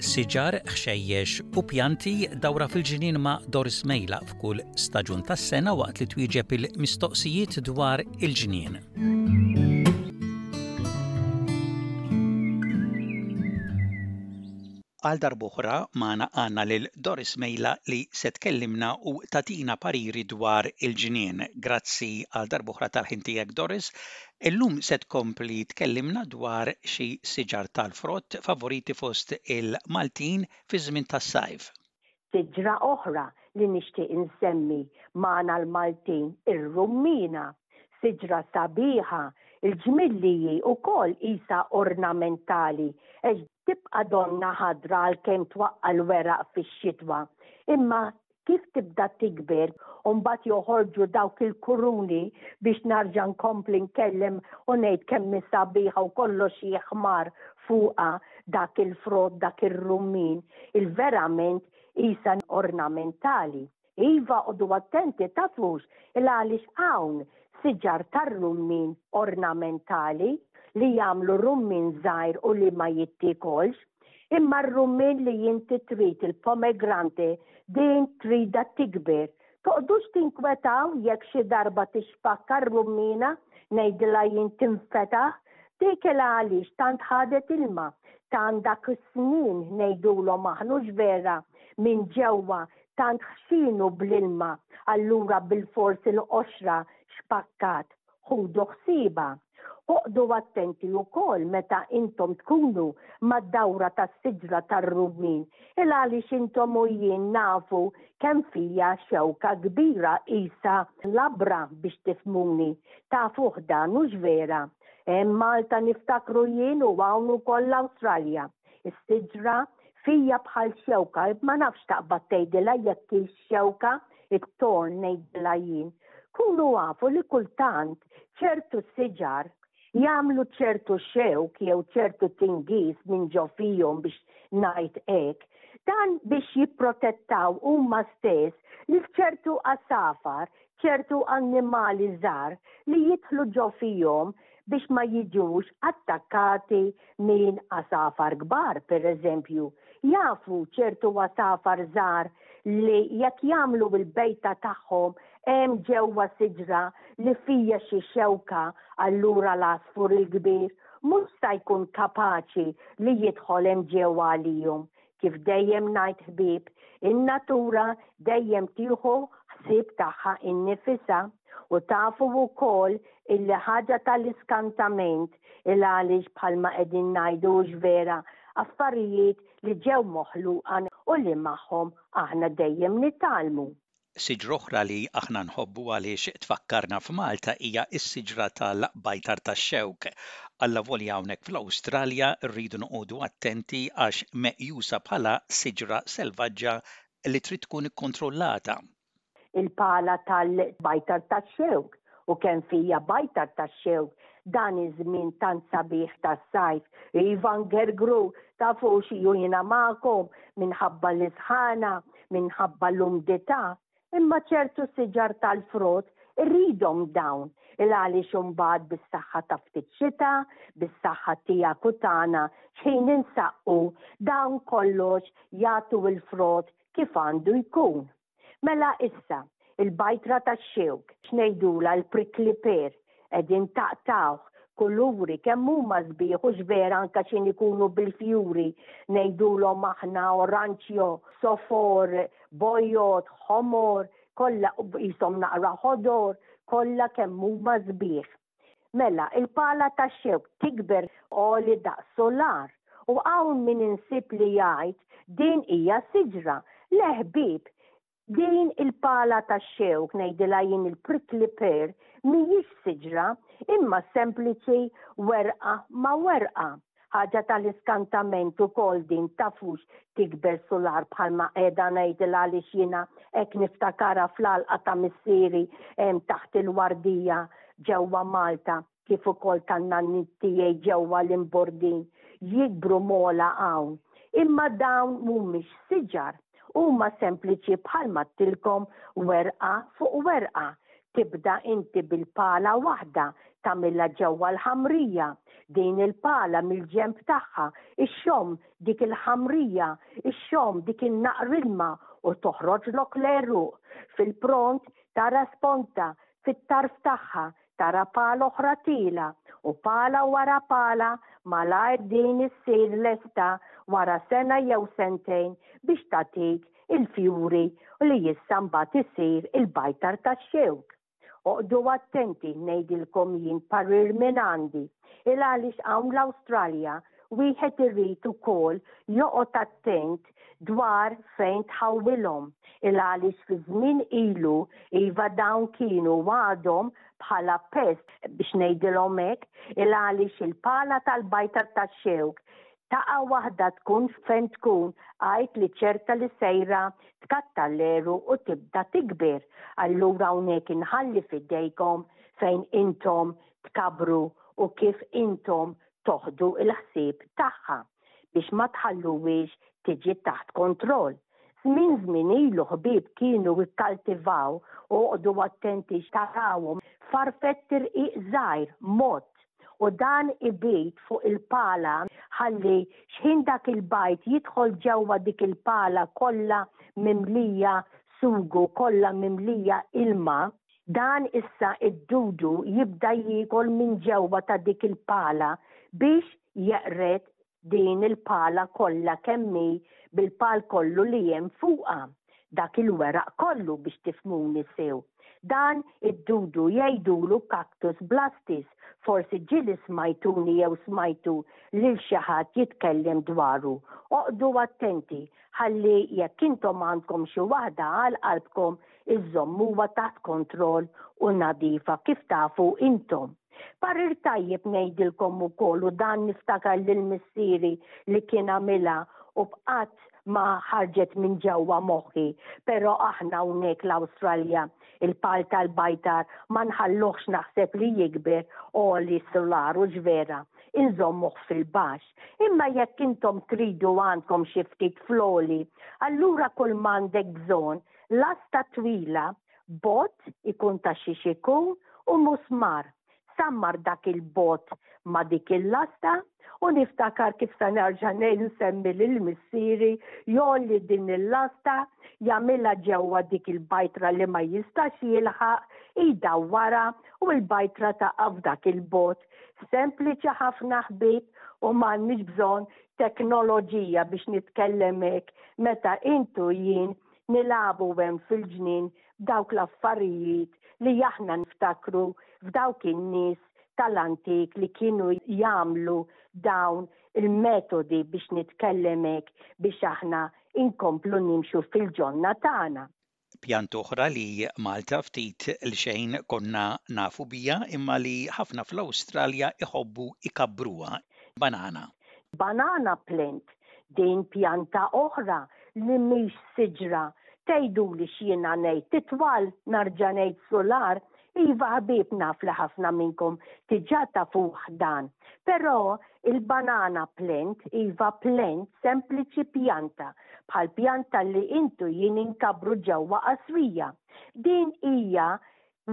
Siġar, ħxejjex u pjanti dawra fil-ġnien ma' Doris Mejla f'kull staġun tas-sena waqt li twieġeb il-mistoqsijiet dwar il-ġnien. Għal darb'oħra magħna għandna lil Doris Mejla li se tkellimna u tagħtina pariri dwar il-ġnien. Grazzi għal darb'oħra tal-ħin tiegħek Doris. Illum se tkompli tkellimna dwar xi siġar tal-frott favoriti fost il-Maltin fiż-żmien tas-sajf. Siġra oħra li nixtieq insemmi magħna l-Maltin ir-rummiena. Siġra sabiħa, il-ġmiel li hi wkoll qisha ornamentali għax tibqa' donnha ħadra għalkemm twaqqa' l-weraq fix-xitwa. Imma kif tibda tikber u mbagħad joħorġu dawk il-kuruni biex narġa' nkompli nkellem u ngħid kemm hi sabiħa u kollox jiħmar fuqha dak il-frott, dak ir-rummin, il-verament qisha ornamentali. Iva qogħdu attenti tafux il għaliex hawn siġar tar-rummin ornamentali li jagħmlu rummin żgħir u li ma jittiekolx. Imma r-rummin li inti trid il-pomegrante din tridha tikber. Toqgħdux tinkwetaw jekk xi darba tixpakka r-rummina, ngħidilha jien tinfetaħ, dik il għaliex tant ħadet ilma, tant dak is-snien ngħidulhom aħna hux vera minn ġewwa tant ħxinu bl-ilma allura bilfors il-qoxra xpakkat. Ħudu ħsiebha. Oqgħdu attenti wkoll meta intom tkunu mad-dawra tas-siġra tar-rummin, il-għaliex intom u jien nafu kemm fija xewka kbira qisha labra biex tifhmuni. Tafuh dan, hux vera? Hemm Malta niftakru jien u hawn ukoll l-Awstralja. Is-siġra fija bħal xewka, ma nafx taqbad tgħidilha jekk hix xewka, it-torn ngħidilha jien. Kunu afu li kultant ċertu siġar jagħmlu ċertu xewk jew ċertu tingiż minn ġo fihom biex ngħid hekk, dan biex jipprotettaw huma stess lil ċertu għasafar, ċertu annimali żgħar li jidħlu ġo fihom biex ma jiġux attakkati minn għasafar kbar, pereżempju. Jafu ċertu għasafar żgħar li jekk jagħmlu l-bejta tagħhom hemm ġewwa siġra li fija xi xewka allura l-għasfur il-kbir mhux sa jkun kapaċi li jidħol hemm ġewwa għalihom. Kif dejjem ngħid ħbieb, in-natura dejjem tieħu ħsieb tagħha innifisha u tafu wkoll illi ħaġa tal-iskantament il għaliex bħalma qegħdin ngħidu hux vera affarijiet li ġew moħluqa u li magħhom aħna dejjem nitgħallmu. Siġra oħra li aħna nħobbu għaliex tfakkarna f'Malta hija s-siġra tal-bajtar tax-xewk. Allavolja hawnhekk fl-Awstralja rridu noqogħdu attenti għax meqjusa bħala siġra selvaġġa li trid tkun ikkontrollata. Il-pala tal-bajtar tax-xewk u kemm fija bajtar tax-xewk dan iż-żmien tant sabiħ tas-sajf. Iva ngergru, tafux ju jiena magħkom minħabba l-isħana minħabba l-umdità, imma ċertu siġar tal-frott irridhom dawn il għaliex imbagħad bis-saħħa ta' ftit xita, bis-saħħa tiegħek u tagħna x'ħin insaqqu, dawn kollox jagħtu l-frott kif għandu jkun. Mela issa, il-bajtra tax-xewk, x'ngħidulha l-prickly pear, Qegħdin taqtgħuh, kuluri, kemm huma sbieħ hux vera anke x'in ikunu bil-fjuri, ngħidulhom aħna oranġjo, sofor, bojod, ħomor, kollha qishom naqra ħodor, kollha kemm huma sbieħ. Mela, il-pala tax-xewk tikber għoli daqs sular u hawn min insib li jgħid din hija siġra. Le ħbieb, Din il-pala tax-xewk, ngħidilha jien il-prickly pear, mhijiex siġra, imma sempliċi werqa ma' werqa. Ħaġa tal-iskantament ukoll din tafux tikber sular bħalma qiegħda ngħidilha għaliex jiena hekk niftakarha fl-għalqa ta' missieri hemm taħt il-wardija ġewwa Malta. kif ukoll tan-nanniet tiegħi ġewwa l-Imbordin jikbru m'ogħla hawn. Imma dawn mhumiex siġar, huma sempliċi bħalma għedtilkom werqa fuq werqa. Tibda inti bil-pala waħda tagħmilha ġewwa l-ħamrija. Din il-pala mill-ġenb tagħha ixxomm dik il-ħamrija, ixxomm dik in-naqr ilma u toħroġlok l-għeruq. Fil-pront tara sponta fit-tarf tagħha tara pala oħra tiela' u pala wara pala malajr din issir lesta wara sena jew sentejn biex tagħtik il-fjuri u li issa mbagħad isir il-bajtar tax-xewk. Oqgħdu attenti ngħidilkom jien parir minn għandi, il għaliex hawn l-Awstralja wieħed irid ukoll joqgħod attent dwar fejn tħawwilhom, il għaliex fi żmien ilu iva dawn kienu u għadhom bħala pest biex ngħidilhom hekk, il għaliex il-pala tal-bajtar tax-xewk taqa' waħda tkun fejn tkun għid li ċerta li sejra tkattar l-għeruq u tibda tikber. Allura hawnhekk inħalli f'idejkom fejn intom tkabbru u kif intom toħdu l-ħsieb tagħha biex ma tħalluhiex tiġi taħt kontroll. Żmien żmien ilu ħbieb kienu kkaltivaw u oqgħdu attenti x'tarawhom farfett irqiq żgħir mott u dan ibid fuq il-pala ħalli x'ħin dak il-bajd jidħol ġewwa dik il-pala kollha mimlija sugu kollha mimlija ilma Dan issa id-dudu jibda jiekol minn ġewwa ta' dik il-pala biex jeqred din il-pala kollha kemm hi bil-pal kollu li hemm fuqha, dak il-weraq kollu biex tifhmuni sew. Dan id-dudu jgħidulu cactus blastis, forsi ġieli smajtuni jew smajtu lil xi ħadd jitkellem dwaru. Oqgħdu attenti ħalli jekk intom għandkom xi waħda għal qalbkom iżżommuha taħt kontroll u nadifa kif tafu intom. Parir tajjeb ngħidilkom ukoll u dan niftakar lil missieri li kien għamilha u bqgħet ma ħarġet minn ġewwa moħħi, però aħna hawnhekk l-Awstralja il-pal tal-bajtar ma nħalluhx naħseb li jikber għoli sular u vera, inżommuh fil-baxx. Imma jekk intom tridu għandkom xi ftit fl-għoli, allura kull m'għandek bżonn lasta twila, bott ikun ta' xiex ikun u musmar. Sammar dak il-bott ma' dik il-lasta u niftakar kif sa nerġa' nsemmi lil missieri jgħolli din il-lasta, jagħmilha ġewwa dik il-bajtra li ma jistax jilħaq, jdawwarha u l-bajtra taqa' f'dak il-bott. Sempliċi ħafna ħbieb u m'għandniex bżonn teknoloġija biex nitkellem hekk meta int u jien nilagħbu hemm fil-ġnien b'dawk l-affarijiet li aħna niftakru f'dawk in-nies tal-antik li kienu jagħmlu dawn il-metodi biex nitkellem hekk biex aħna inkomplu nimxu fil-ġonna tagħna. Pjanta oħra li Malta ftit li xejn konna nafu biha imma li ħafna fl-Awstralja iħobbu jkabbruha, banana. Banana plant, din pjanta oħra li mhix siġra. Tgħiduli x'jiena ngħid, titwal narġa' ngħid sular, iva ħbieb naf li ħafna minnkom diġà tafuh dan. Però il-banana plant, iva plant, sempliċi pjanta, bħal pjanta li int u jien inkabbru ġewwa qasrija. Din hija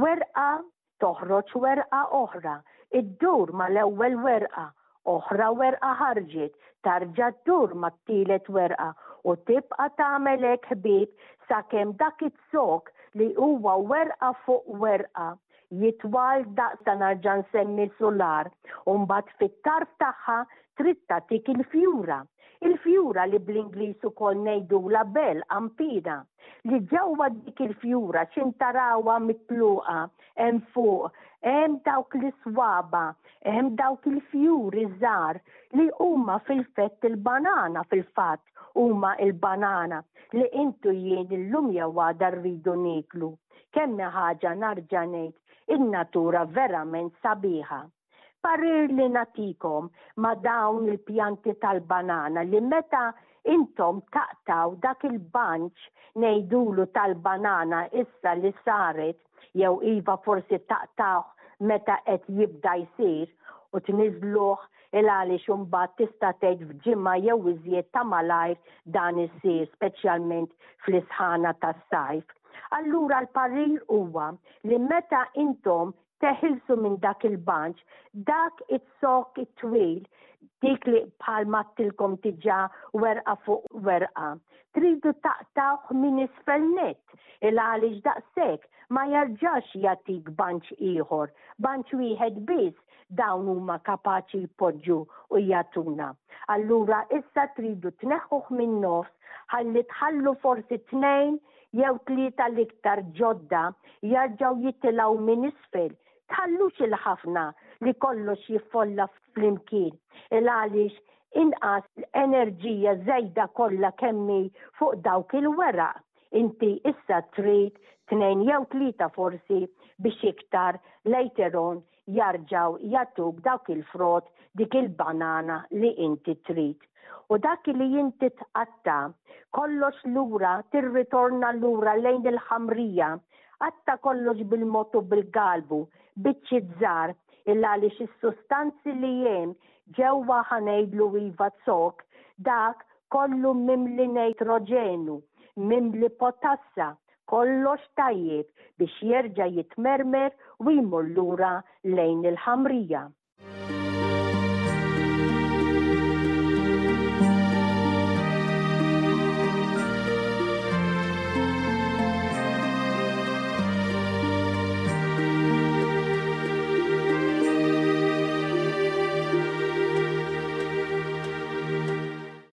werqa Toħroġ werqa oħra, iddur mal-ewwel werqa, oħra werqa ħarġet, tarġa' ddur mat-tielet werqa u tibqa' tagħmel hekk ħbieb sakemm dak iz-zokk li huwa werqa fuq werqa jitwal daqs ta' narġa' nsemmi sular u mbagħad fit-tarf tagħha trid tagħtik il-fjura. Il-fjura li bl-Ingliż ukoll ngħidulha bell, qanpiena, li ġewwa dik il-fjura x'in tarawha mitluqa hemm fuq, hemm dawk l-iswaba, hemm dawk il-fjuri żgħar li huma fil-fett il-banana fil-fatt huma il-banana li intu jien illum jew għada rridu nieklu. Kemm hi ħaġa narġa' ngħid in-natura verament sabiħa. Parir li nagħtikom ma' dawn il-pjanti tal-banana li meta intom taqtgħu dak il-bunch ngħidulu tal-banana issa li saret jew iva forsi taqtgħuh meta qed jibda jsir u tniżżluh il għaliex imbagħad tista' tgħid f'ġimgħa jew iżjed ta' malajr dan isir speċjalment fl-isħana tas-sajf. Allura l-parir huwa li meta intom. teħilsu minn dak il-banċ, dak iz-zokk it-twil, dik li bħal m'għedtilkom diġà werqa fuq werqa, tridu taqtgħuh minn isfel nett, il-għaliex daqshekk ma jerġax jagħtik banċ ieħor, banċ wieħed biss dawn huma kapaċi jpoġġu u jagħtuna. Allura issa tridu tneħħuh min-nofs ħalli tħallu forsi tnejn jew tlieta l-iktar ġodda jarġgħu jitilgħu minn isfel. Tħallux il-ħafna li kollox jiffolla flimkien il-għaliex inqas enerġija żejda kollha kemm hi fuq dawk il-weraq. Inti issa trid tnejn jew tlieta forsi biex iktar later on jarġgħu jagħtuk dawk il-frott, dik il-banana li inti trid. U dak li inti tqatta' kollox lura tirritorna lura lejn il-ħamrija. Qatta' kollox bil-mod u bil-galbu, biċċiet żgħar, il-għaliex is-sustanzi li hemm ġewwa ħa ngħidlu iva zokk, dak kollu mimli nejtroġenu, mimli potassa, Kollox tajjeb biex jerġa' jitmermer u jmur lura lejn il-ħamrija.